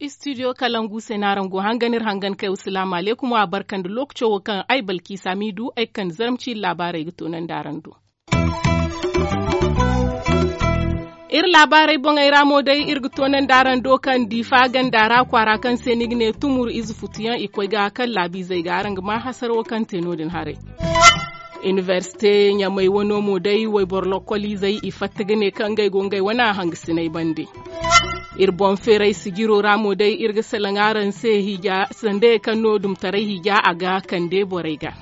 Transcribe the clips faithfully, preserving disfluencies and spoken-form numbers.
Istidiyo kalangu se no araŋ go hangan iri hangan kay wa salaamu alaykum a barka nda lookaco wo kaŋ ay balkiisa m'i du ay ga kande zarma ciiri laabaarey ga toonandi araŋ do. Iri laabaarey boŋey ra mo day iri ga toonandi araŋ do kaŋ diifa ganda ra kwaara kaŋ se ni ga ne tumur ize futuyaŋ i koy ga kaŋ laabiizey ga araŋ ga maa hasarawo kaŋ te no- din haray. Inibersite ɲamay wano mo day wayboro lokkoliizey i fatta ga ne kaŋ ngey go ngey wane hangasiney bande. Iri boŋ feeray sijiro ra mo day iri ga salaŋ araŋ se hiija sandayey kaŋ no dumtaray hiija a ga kande borey ga.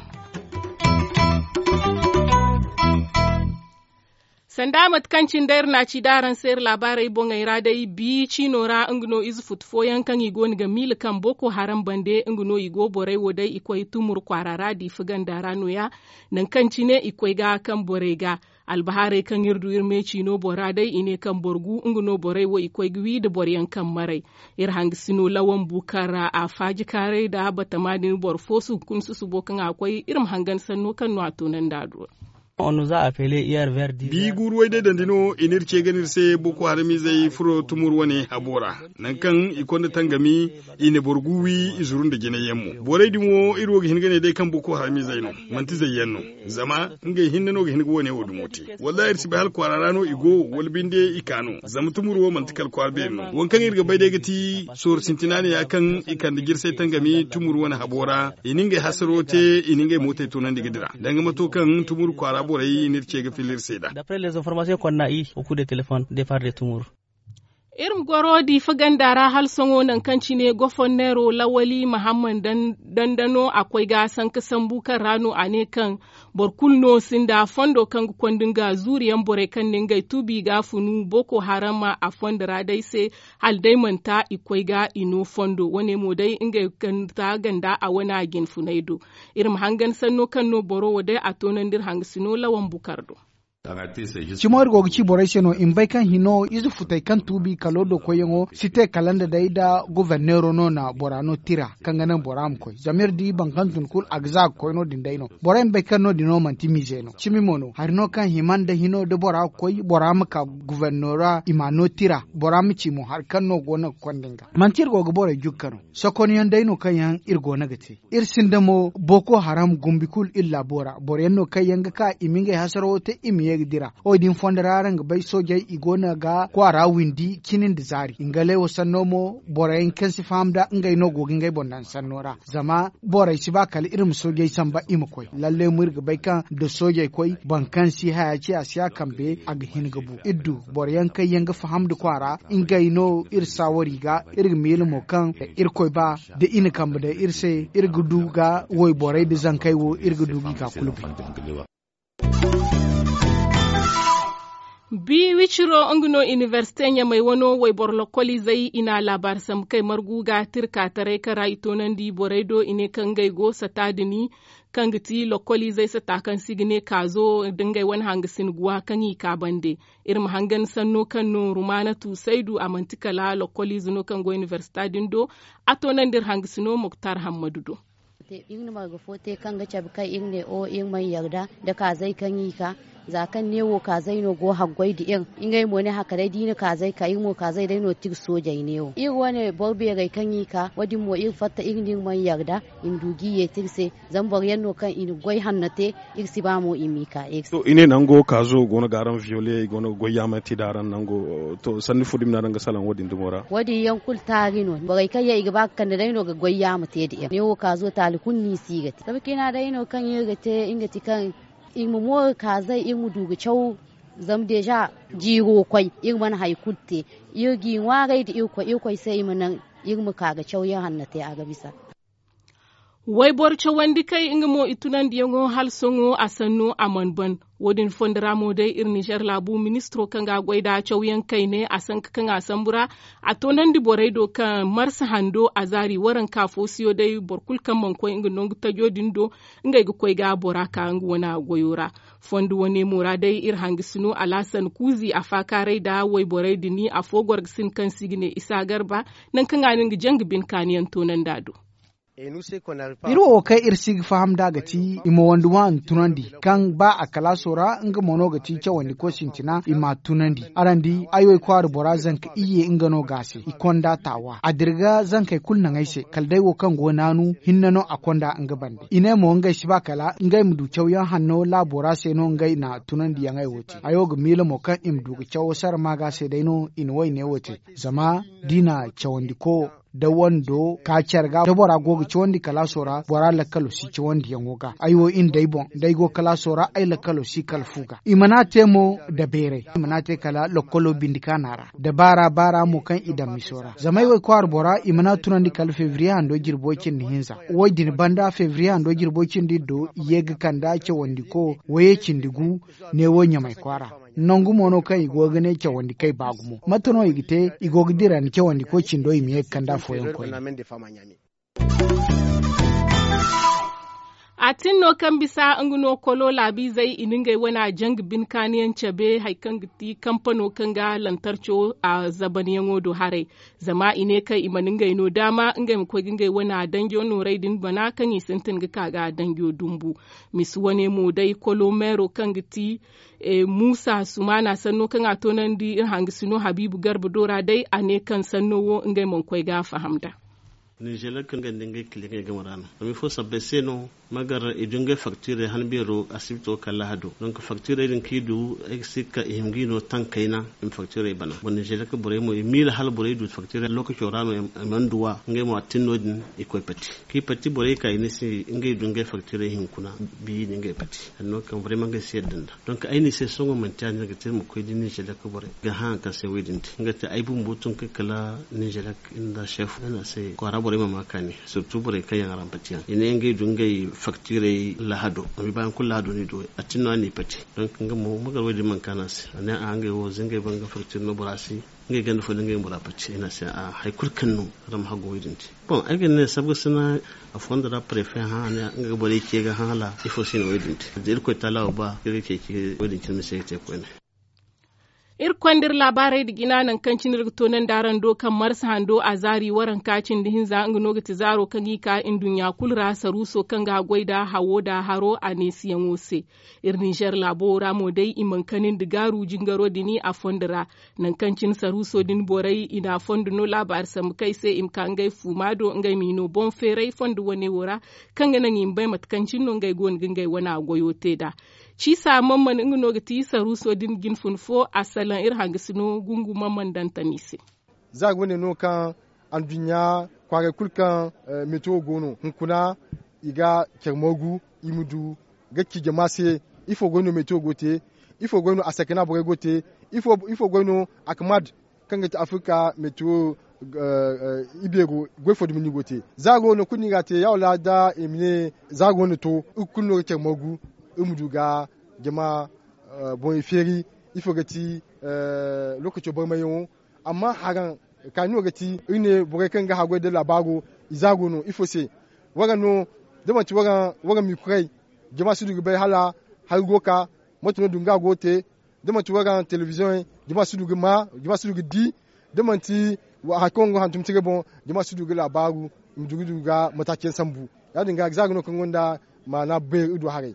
Sanda mate kaŋ cine day iri na a ci da araŋ se iri laabaarey boŋey ra day bi ciino ra nga no ize futu fooyaŋ kaŋ i go no ga miila kaŋ boko haram bande nga no i go borey wo day i koy tumur kwaara ra diifa ganda ra no- ya. Nangu kaŋ cine i koy ga kaŋ borey ga albahaarey kaŋ iri du iri me ciino bora day i ne kaŋ boro gu nga no borey wo i koy ga wi nda boroyaŋ kaŋ maray. Iri hangasino lawan bukar ra a faaji kaaray nda batama din boro fo suhunkuna susubo kaŋ a koy iri ma hangan sanno kaŋ no a toonandi a do. Bi guuru way day dandi no i n'iri ce ga ne iri se boko haramizey furo tumur wane habo ra. Nangu kaŋ i konda tangami i na boro gu wi i zuru nda jinay yaŋ mo borey din wo iri wo ga hin ga ne day kaŋ boko haramizey no. Manti zayyaŋ no. Zama ngey hinne no ga hin ga wo- ne wo dumo te. Wallaahi iri si bay hala kwaara ra no i go wala binde i ka no zama tumur wo manti kala kwaara beeri no waŋ kaŋ iri ga bay day ga ti sooru sintina ne ya kaŋ i kande jirsay tangami tumur wane habo ra i na ngey hasaro te i na ngey mootey toonandi ga dira danga mato kaŋ tumur kwaara borey n'iri ce ga filla iri se nd'a. Iri ma goro diifa ganda ra hala sohõ nangu kaŋ cine goforneero lawali mahamman dandano a koy ga sanka sambu kaŋ ra no a ne kaŋ boro kulu no sinda fondo kaŋ ga konda nga zuuriyaŋ borey kaŋ ne ngey tuubi ga funu boko haram a fondo ra day se. Hala day manti i koy ga i no fondo wane mo day ngey ga ta ganda a wane a jinfunay do. Iri ma hangan sanno kaŋ no boro wo day a toonandi iri hangasino lawan bukar do. Cimo iri go ga ci borey se no i ma bay kaŋ hino ize futey kaŋ tuubi kalo do koyyaŋo si te kala nda day nda goforneero no na bora no tira kaŋ ga naŋ bora ma koy zama iri di boro kaŋ tun kulu a ga za ga koy no- din day no. Borey ma bay kaŋ no- din no manti miize no cimi mo no hari no kaŋ hima nda hino da bora ga koy bora ma ka goforneero ra i m'a no tira bora ma ci mo hari kaŋ no go no ga konda nga manti iri go ga borey jugga no. Sokonyaŋ day no kaŋ yaŋ iri go no ga te. Iri sinda mo boko haram gumbi kulu iri laabo ra boro yaŋ no kaŋ yaŋ ga ka i ma ngey hasarawo te i ma ye ga dira wo- din fondo ra araŋ ga bay soojey i go no ga kwaara windi cini nda zaari i ga lay wo sanno mo boro yaŋ kaŋ si faham nd'a ngey no go ga ngey boŋ daŋ sanno ra. Zama borey si ba kala iri ma soojey samba i ma koy lalle mo iri ga bay kaŋ nda soojey koy boro kaŋ si haya ci a si a kambe a ga hin ga bu iri du boro yaŋ kaŋ yaŋ ga faham nda kwaara ngey no iri saawari ga. Iri ga miila mo kaŋ irkoy ba da i na kambe daŋ iri se iri ga du ga wayborey nda zankey wo iri ga du ga i ka kulu bay. Bi wiciro nga no inibersite ɲamay wano wayboro lokkoliizey i na laabaari sambu kay margu ga tirkaataray kaŋ ra i toonandi borey do i ne kaŋ ngey go sata dini kaŋ ga ti lokkoliizey sata kaŋ se i ga ne kaazo nda ngey wane hangasin guwa kaŋ i ka bande. Iri ma hangan sanno kaŋ no rumaana tuusaydu a manti kala lokkoliize no kaŋ go inibersita din do. A toonandi iri hangasino muktar hammadu do. Iri na marga fo te kaŋ ga cabe kaŋ iri ne o iri mana yarda nda kaazey kaŋ i ka za kaŋ neewo kaazey no go haggoy nda iri. Ngey mo ne haka day da i na kaazey ka iri mo kaazey day no tira soojey neewo iri wane boro beerey kaŋ i ka wo- din mo iri fatta iri nda iri mana yarda i ma du ga i yeeti iri se. Zama boro yaŋ no kaŋ i na goy hanno te iri si ba mo i m'i ka iri se. I ne nango kaazo go no ga araŋ viyole i go no ga goy yaamante nda araŋ nango to sanni fo dumi no araŋ ga salaŋ wo- din dumo ra. Wo- din yaŋ kulu taari no borey kaŋ yaŋ i ga ba ga kande day no ga goy yaama te nda iri neewo kaazo taali kulu no i si ga te zama ciina day no kaŋ iri ga te nga ti kaŋ iri ma mooru kaazey iri ma du ga caw. Zama deeza jiiro koy iri mana hari kulu te iri g'i ŋwaaray nda irkoy irkoy se i ma naŋ iri ma ka ga caw iri hanno te a ga bisa. Wayboro cawandi kay nga mo i tunandiyaŋo hala sohõ a sanno a mana ban. Wo- din fondo ra mo day iri nizer laabu ministiro kaŋ ga a goy nd'a cawyaŋ kayne a sanka kaŋ a sambu ra. A toonandi borey do kaŋ marsa hando a zaari waranka fo siyo day boro kulu kaŋ mana koy nga nangu tajo din do ngey ga koy ga bora ka nga wane goyo ra. Fondo wane mo ra day iri hangasino alaasan kuuzi a faakaaray nda wayborey din afo goro ga sinda kaŋ se i ga ne isa garba. Nangu kaŋ a na nga janga bine kaaniyaŋ toonandi a do. Iri wo kaŋ iri si ga faham nd'a ga ti i ma wandi waani tunandi, kaŋ ba a kalaaso ra nga mo no ga ti cawandiko sintina i m'a tunandi. Araŋ di ay wo ay kwaara bora zanka iyye nga no ga a se i konda taawa a dira ga zankey kulu naŋ ay se kala day wo kaŋ go naanu hinne no a konda nga bande. I ne mo ngey si ba kala ngey ma du cawyaŋ hanno laabo ra se no ngey na tunandiyaŋey wo te. Hayo ga miila mo kaŋ i ma du ga cawo sara maaga se day no i na wayne wo te. Zama da i na cawandiko da wando ka care ga da bora go ga cawandi kalaaso ra bora lakkalo si cawandiyaŋo ga ay wo iri nda ay boŋ da ay go kalaaso ra ay lakkalo si kala fu ga i mana te mo da beeray i mana te kala lakkalo bindi kaana ra. Da baara baara mo kaŋ i daŋ miso ra zama ay wo ay kwaara bora i mana tunandi kala febriye hando jirbo cindi hinza. Wo- din banda febriye hando jirbo cindi do i ye ga kanda cawandiko wayey cindi gu neewo ɲamay kwaara. Nangu mo no kaŋ i go ga ne cawandi kay ba gumo mate no i ga te i go ga dira ni cawandi koy cindo i ma ye ga kande afooyaŋ koyne. A tin no kaŋ bisa nga no kolo laabiizey i na ngey wane a janga bine kaaniyaŋ cabe hari kaŋ ga ti kampano kaŋ ga lantarco a zabanyaŋo do haray. Zama i ne kaŋ i mana ngey no daama ngey ma koy ga ngey wane a danjo noorey din bana kaŋ i sintin ga ka ga a danjo dumbu. Misi wane mo day kolomeero kaŋ ga ti muusa sumaana sanno kaŋ a toonandi iri hangasino habiibu garba do ra day a ne kaŋ sanno wo ngey mana koy ga a faham nd'a. Ninzeer kaŋ ga nda ngey kiliyaŋey game ra no zama ifo sabbay se no? Magar i du ngey faktiirey han beero asibito kala lahado donk faktiirey din kaŋ i du ay ga si ga ka i hima ga i no taŋ kayna. I ma faktiirey bana boro ninzeer borey mo i miila hala borey du faktiirey lookaco ra no i mana duw'a ngey mo a tin no- din i koy pati kaŋ i pati borey ka i ne se ngey du ngey faktiirey hinkuna. Biyi nda ngey pati hari no kaŋ barey ma ngey se yadda nda donk ay ne se sohõ manti ya- din ga te iri ma koy da ninzeer borey ga hã hari kaŋ se wo- din te nga te ay bumbo tun kay kala ninzeer nda seef ay ne a se kwaara borey ma ma kaani sirtu borey kaŋ yaŋ ra ma pati yaŋ i ne ngey du ngey faktiirey lahado. Amma i baayaŋ kulu lahado no i du a tin no a n'i pati donk nga mo magar wo- din mana kaani a se a ne a ngey wo za ngey ban ga faktiir no bora se. Ngey ganda fo da ngey bora pati ay ne a se a hari kulu kaŋ no. Ra ma haggo wo- din te. Boŋ ay ga ne sabga sina a fondo ra prefe hã a ne nga ga borey ce ga hã hala ifo se no wo- din te da irkoy taala wo ba iri ga ceeci wo- din cine ma se ga te koyne. Iri konda iri laabaarey nda jina nangu kaŋ cine iri ga toonandi araŋ do kaŋ marsa hando a zaari waranka cindi hinza nga no ga ti zaaro kaŋ i ka nduɲɲa kulu ra saruuso kaŋ ga a goy nda hawo nda haro a neesiyaŋo se. Iri ninzeer laabo ra mo day i mana kani nda gaaru jingaro din a fondo ra. Nangu kaŋ cine saruuso din borey i na a fondo no laabaari sambu kaŋ ay se i ma ka ngey fuuma do ngey m'i no boŋ feeray fondo wane wo ra. Kaŋ ga naŋ i ma bay mate kaŋ cine no ngey go no ga ngey wane a goyo te nd'a. Ciisa mamman nga no ga ti saruuso din jine fun fo a salaŋ iri hangasino gungu mamman dantani se. Za ga wane no kaŋ anduɲɲa kwaaray kulu kaŋ metewo go no hunkuna i ga care margu i ma du ga ci jama se. Ifo goy no metewo go te? Ifo goy no a sakana borey go te? Ifo goy no a kamad kaŋ ga ti afirka metewo ibeero goy fo dumi no i go te? Za go no kulu no i ga a te ya wala da i ma ne za go no to iri kulu no ga care margu iri ma du ga jama boŋey feeri. Ifo ga ti lookaco barmayyaŋo amma haraŋ kaani no ga ti iri ne borey kaŋ ga haggoy da laabaaro i za go no ifo se? Waraŋ no da manti waraŋ mikuray jama si du ga bay hala hari go ga ka mate no dunga go ga te? Da manti waraŋ telebiziyoŋey jama si du ga ma jama si du ga di da manti hari kaŋ waraŋ go hantum tiray boŋ jama si du ga laabaaru i ma du ga du ga mataaci yaŋ sambu. Ya- din ga za ga no kaŋ gonda maana beeri iri du haray.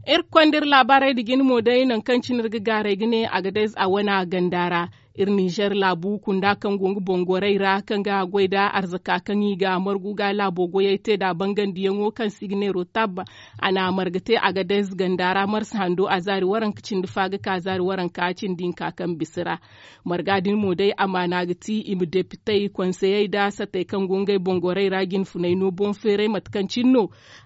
Iri ga konda iri laabaarey nda jine mo day nangu kaŋ cine iri ga gaaray ga ne agadez a wane a ganda ra. Iri ninzeer laabu kunda kaŋ go nga boŋ gorey ra kaŋ ga a goy nda arzaka kaŋ i ga a margu ga laabo goyey te nd'a bangandiyaŋo kaŋ se i ga ne rotab. A na a marga te agadez ganda ra marsa hando a zaari waranka cindi fa ga ka zaari waranka cindi hinka kaŋ bisa ra. Marga din mo day amaana ga ti i ma depitey konseyey nda satey kaŋ go ngey boŋ gorey ra jine funey no boŋ feeray mate kaŋ cine no.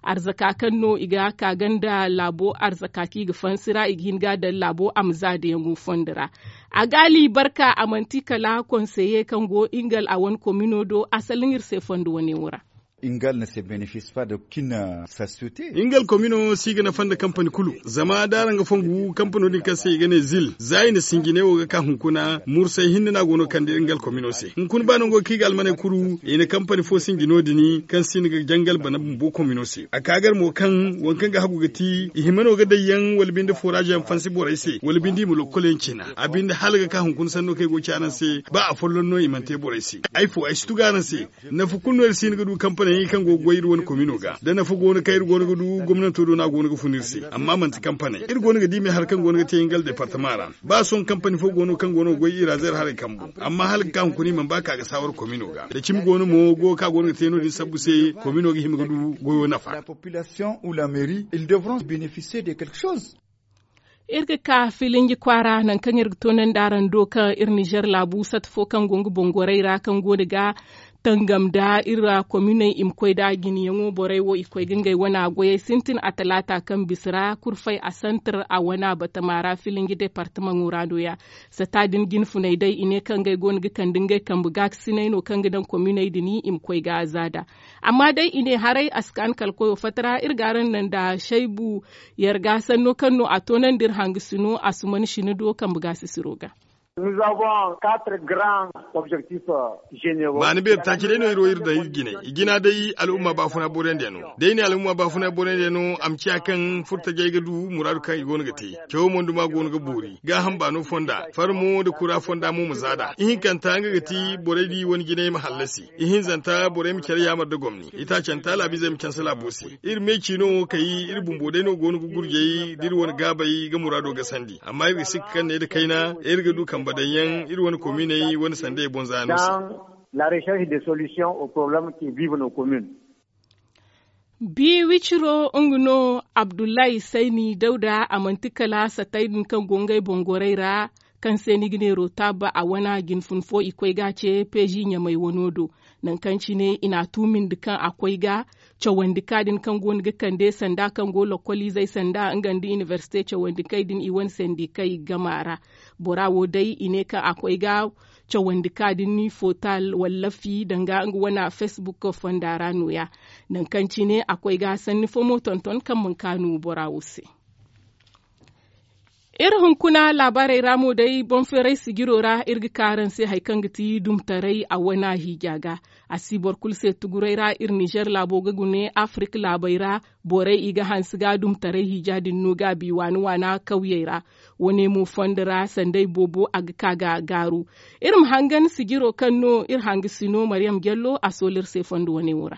Arzaka kaŋ no i ga ka ganda laabo arzaka kaŋ i ga fansi ra i ga hin ga a daŋ laabo a ma za dayaŋo fondo ra. A ga a liibarka a manti kala konseye kaŋ go ingal a wane komino do a salaŋ iri se fondo wane wo ra. Ingal ne se benefis fa da kina sasyote. Ingal komino si ga nafa nda kampani kulu zama da araŋ ga fongu kampano din kaŋ se i ga ne zil za i na sinjinay wo ga ka hunkuna mursay hinne no a go no kande ingal komino se hunkuna ba nango kaŋ i ga almaney kuru i na kampani fo sinji no- din kaŋ si ni ga jangal bana bumbo komino se a ka gar mo kaŋ waŋ kaŋ ga hagu ga ti i hima no ga day yaŋ wala binde foraaz yaŋ fansi borey se wala binde i ma lokkol yaŋ cina a binde hala ga ka hunkuna sanno kaŋ ay go ga ci araŋ se ba afolloŋ no i mana te borey se. Ay fo ay si tugu araŋ se nafa kulu no iri si hin ga du kampani. Kaŋ go ga goy iri wane komino ga da nafa go no kaŋ iri go no ga du gomnanto do no a go no ga fun iri se. Amma manti kampaney iri go no ga di me hari kaŋ go no ga te ngal departama ra. Ba sohõ kampani fo go no kaŋ go no ga goy iri ra zeera haray kambu. Amma hala ga ka hunkuna i mana ba ka ga saawar komino ga da cimi go no mo go kaŋ a go no ga te no- din sabbu se komino ga hima ga du goyo nafa. Iri ga ka filinji kwaara nangu kaŋ iri ga toonandi araŋ do kaŋ iri nizer laabu sata fo kaŋ go nga bongorey ra kaŋ go no ga tangam nda iri ra kominey i ma koy nda jinyaŋo borey wo i koy ga ngey wana goyey sintin a talaata kaŋ bisa ra kurfay a santar a wana batama ra filinji departamaŋo ra no- ya. Sata din jinfuney day i ne kaŋ ngey go no ga kande ngey kambe gaakasiney no kaŋ ga daŋ kominey din i ma koy ga zaada. Amma day i ne haray a si ka ni kala koyo fatta ra iri ga araŋ naŋ nda saybu yarga sanno kaŋ no a toonandi iri hangasino a suman sina do kambe gaasisiro ga. Baani beeri taaci day no iri wo iri daŋ iri jine i jina day al'umma baafuna borandi yaŋ no. Day ne al'umma baafuna borandi yaŋ no a ma ciya kaŋ furtajey ga du muraadu kaŋ i go no ga te. Cawo mo nda ma go no ga boori gaaham baano fonda farmo nda kura fonda mo ma zaada ihinkanta nga ga ti borey di wane jinay ma hallasi. Ihinzanta borey ma care yaamar nda gomni itaacanta laabizey ma canse laabo se. Iri me ciino wo kay iri bumbo day no go no ga gurjay da iri wane gaabey ga muraado gasandi amma iri ga sikka kaŋ ne nda kayna iri ga du kambe daŋ yaŋ iri wane kominey wane sandey boŋ za no se. Bi wiciro nga no abdullahi sayni dawda a manti kala satay din kaŋ go ngey boŋ gorey ra kaŋ se ni ga ne rotab a wana jinfun fo i koy ga a ce peezi ɲamay wano do. Nangu kaŋ cine i n'a tuumindi kaŋ a koy ga cawandi ka din kaŋ go no ga kande sanda kaŋ go lokkoliizey sanda nga nda inibersite cawandi kay din i wane sandikey gama ra. Bora wo day i ne kaŋ a koy ga cawandi ka din fotal walla fi danga nga wana facebook fonda ra no- ya. Nangu kaŋ cine a koy ga sanni fo mo tonton kaŋ mana kaanu bora wo se. Iri hunkuna laabaarey ra mo day boŋ feeray sijiro ra iri ga ka araŋ se hari kaŋ ga ti dumtaray a wana hiija ga. A si boro kulu se tuguray ra iri nizer laabo ga gune afirik laabey ra. Borey i ga hanse ga dumtaray hiija din no gaabi waana waana kawyey ra. Wane mo fondo ra sanday boobo a ga ka ga gaaru. Iri ma hangan sijiro kaŋ no iri hangasino mariyam jallo a soolu iri se fondo wane wo ra.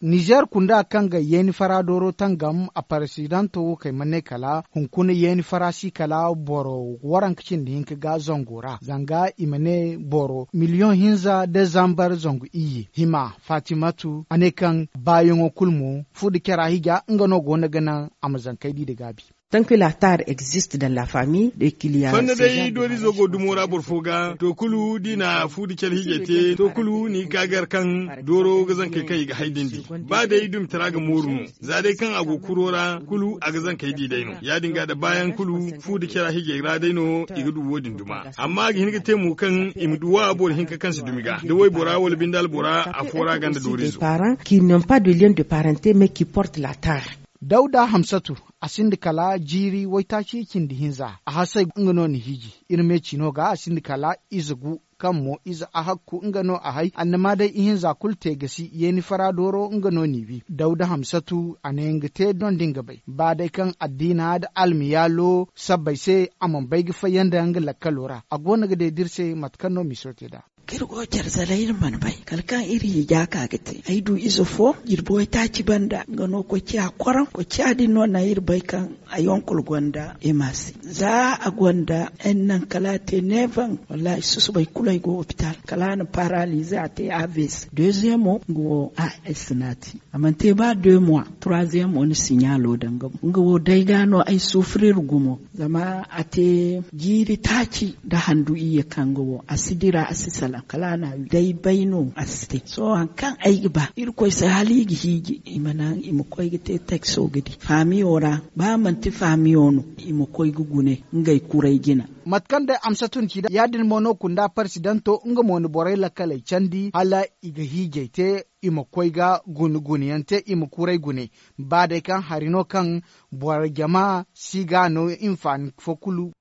Nizer kunda kaŋ ga yeeni fara dooro tangam a paresidanto wo kay ma ne kala hunkuna yeeni fara si kala boro waranka cindi hinka ga zango ra zanga i ma ne boro miliyoŋ hinza da zambar zangu iyye hima fatimatu a ne kaŋ baayaŋo kulu mo fu da cara hija nga no go no ga naŋ a ma zankey di da gaabi. Tant que la tar existe dans la famille de kiliya. Fanda day doorizo go dumo ra boro fo ga to kulu da i na fu da care hijay te to kulu ni ga ka gar kaŋ dooro ga zankey kaŋ i ga hay dindi. Ba day dumitara ga mooru no za day kaŋ a go kuro ra kulu a ga zankey di day no ya- din ga da baayaŋ kulu fu da cara hijay ra day no i ga du wo- din duma. Amma a ga hin ga te mo kaŋ i ma duwa boro hinka kaŋ si dumi ga da waybora wala binde albora afo ra ganda doorizo. Qui n'ont pas de lien de parente mais qui porte la tar. Dawda hamsatu a sinda kala jiiri waytaaci cindi hinza a hasay nga no ni hiiji. Iri me ciino ga a sinda kala ize gu kaŋ mo ize a hakku nga no a hay annama day ihinza kulu te gasi yeeni fara dooro nga no ni wi dawda hamsatu a ne nga te doŋ da nga bay ba day kaŋ addiina da almiyaalo sabbay se a mana bay ga fayyaŋ da nga lakkalo ra a go no ga day da iri se mate kaŋ no miso te nd'a. Kaŋ iri go care zalay iri mana bay kala kaŋ iri hija ka ga te ay du ize fo jirbi waytaaci banda nga no koy ciya koraŋ koy ciya din no naŋ iri bay kaŋ a yonkul gonda ema se za a gonda ay naŋ kala a te neevaŋ. Wallahi susubay kulu ay go hopital kala a na paralize a te avc deuxième o nga wo a ay sinati a mana te ba deux mois troisième o na signalo daŋ ga mo nga wo day ga no ay souffrir gumo. Zama a te jiiri taaci nda handu iyye kaŋ ga wo a si dira a si salaŋ kala a na a wi day bay no a si te sohõ hari kaŋ ay ga ba irkoy se hala i ga hiiji i ma naŋ i ma koy ga te taxo ga di faamiyo ra. Ba manti faamiyo no i ma koy ga gune ngey kuray jina. Mate kaŋ day amsatu na ci day ya- din mo no kunda parsidanto nga mo na borey lakkaley candi hala i ga hiijay te i ma koy ga gune gune yaŋ te i ma kuray gune. Ba day kaŋ hari no kaŋ boro jama si ga no hinfaani fo kulu.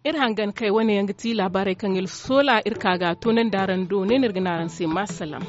Iri hangan kay wane yaŋ ga ti laabaarey kaŋ iri soola iri ka ga a toonandi araŋ do ne no iri ga ne araŋ se ma salaam.